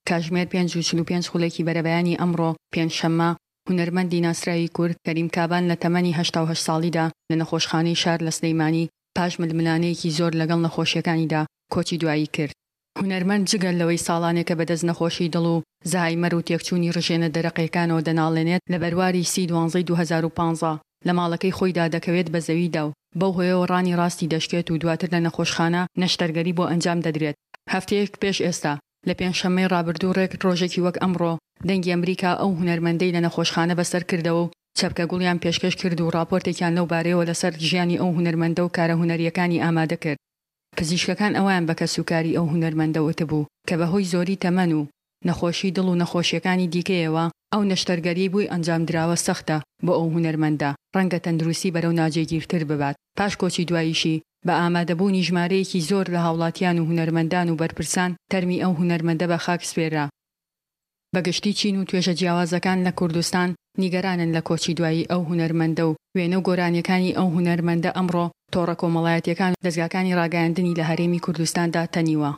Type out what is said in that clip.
کاژمێر 5:45 خولەکی بەرەبەیانی ئەمڕۆ پێنجشەممە، هونەرمەندی ناسراوی کورد کەریم کابان لە تەمەنی 88 ساڵیدا لە نەخۆشخانەی شار لە سلیمانی پاش ململانێیەکی زۆر لەگەڵ نەخۆشییەکانیدا کۆچی دوایی کرد. هونەرمەند جگە لەوەی ساڵانێکە بەدەست نەخۆشی دڵ و زەهایمەر و تێکچوونی ڕژێنە دەرەقیەکانەوە دەناڵێنێت، لە بەرواری سی دوانزەی 2015 لە ماڵەکەی خۆیدا دەکەوێت بە زەویدا و بەو هۆیەوە ڕانی ڕاستی دەشکێت و دواتر لە نەخۆشخانە نەشتەرگەری بۆ ئەنجام دەدرێت. هەفتەیەک پێش ئێستا لە پێنجشەممەی ڕابردوو ڕێک ڕۆژێکی وەک ئەمڕۆ دەنگی ئەمریکا ئەو هونەرمەندەی لە نەخۆشخانە بەسەر کردەوە و چەپکە گوڵیان پێشکەش کرد و ڕاپۆرتێکیان لەو بارەیەوە لەسەر ژیانی ئەو هونەرمەندە و کارە هونەرییەکانی ئامادە کرد. پزیشکەکان ئەوەیان بە کەسوکاری ئەو هونەرمەندە وتبوو کە بەهۆی زۆری تەمەن و نەخۆشی دڵ و نەخۆشییەکانی دیکەیەوە ئەو نەشتەرگەریەی بۆی ئەنجامدراوە سەختە بۆ ئەو هونەرمەندە، ڕەنگە تەندروستی بەرەو ناجێگیرتر ببات. پاش کۆچی دواییشی بە ئامادەبوونی ژمارەیەکی زۆر لە هاوڵاتیان و هونەرمەندان و بەرپرسان تەرمی ئەو هونەرمەندە بە خاک سپێررا. بە گشتی چین و توێژە جیاوازەکان لە کوردستان نیگەرانن لە کۆچی دوایی ئەو هونەرمەندە و وێنە و گۆرانیەکانی ئەو هونەرمەندە ئەمڕۆ تۆڕە کۆمەڵایەتیەکان و دەزگاکانی ڕاگەیاندنی لە هەرێمی کوردستاندا تەنیوە.